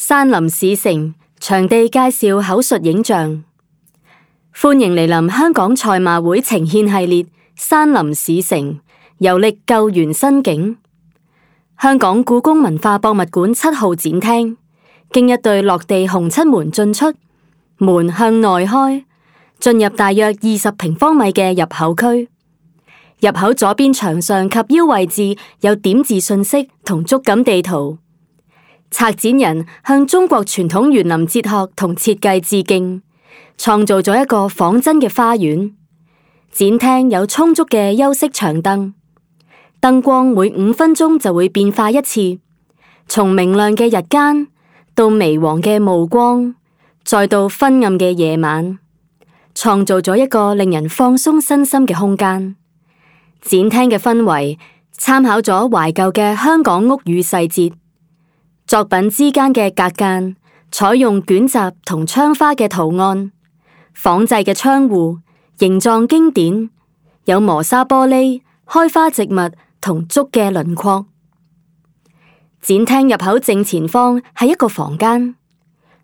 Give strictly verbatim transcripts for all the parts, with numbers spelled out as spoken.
山林市城場地介紹口述影像，歡迎嚟臨香港賽馬會呈獻系列山林市城遊歷救援新景。香港故宮文化博物館七號展廳經一對落地紅漆門進出，門向內開，進入大約二十平方米嘅入口區。入口左邊牆上及腰位置有點字信息同觸感地圖。策展人向中國傳統園林哲學同設計致敬，創造咗一個仿真嘅花園。展廳有充足嘅休息長凳，燈光每五分鐘就會變化一次，從明亮嘅日間到微黃嘅暮光，再到昏暗嘅夜晚，創造咗一個令人放鬆身心嘅空間。展廳嘅氛圍參考咗懷舊嘅香港屋宇細節，作品之間嘅隔間採用捲閘同窗花嘅圖案，仿製嘅窗戶形狀經典，有磨砂玻璃、開花植物同竹嘅輪廓。展廳入口正前方係一個房間，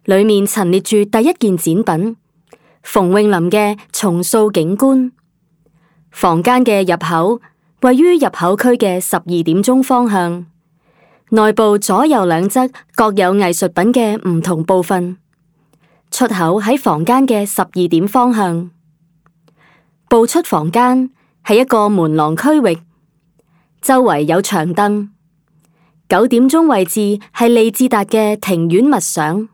裏面陳列住第一件展品——馮詠霖嘅重塑景觀。房間嘅入口位於入口區嘅十二點鐘方向，內部左右兩側各有藝術品嘅唔同部分。出口喺房間嘅十二點方向。步出房間係一個門廊區域，周圍有長凳。九點鐘位置係利志達嘅庭院默想。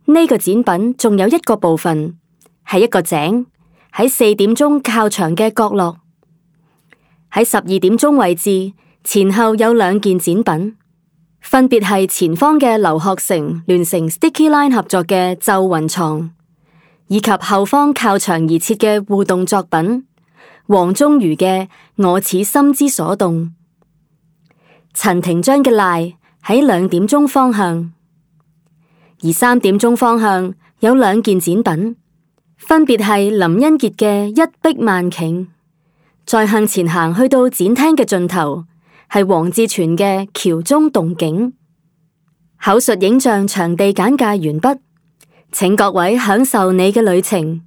呢個展品仲有一個部分係一個井，喺四點鐘靠牆嘅角落。喺十二點鐘位置前後有兩件展品，分別係前方嘅劉學成聯成 Sticky Line 合作嘅咒雲床，以及後方靠牆而設嘅互動作品黃宗瑜嘅我此心之所動。陳庭章嘅賴喺兩點鐘方向，而三點鐘方向有兩件展品，分別係林恩傑嘅一碧萬頃，再向前行去到展廳嘅盡頭係黃志全嘅橋中動景。口述影像場地簡介完畢，請各位享受你嘅旅程。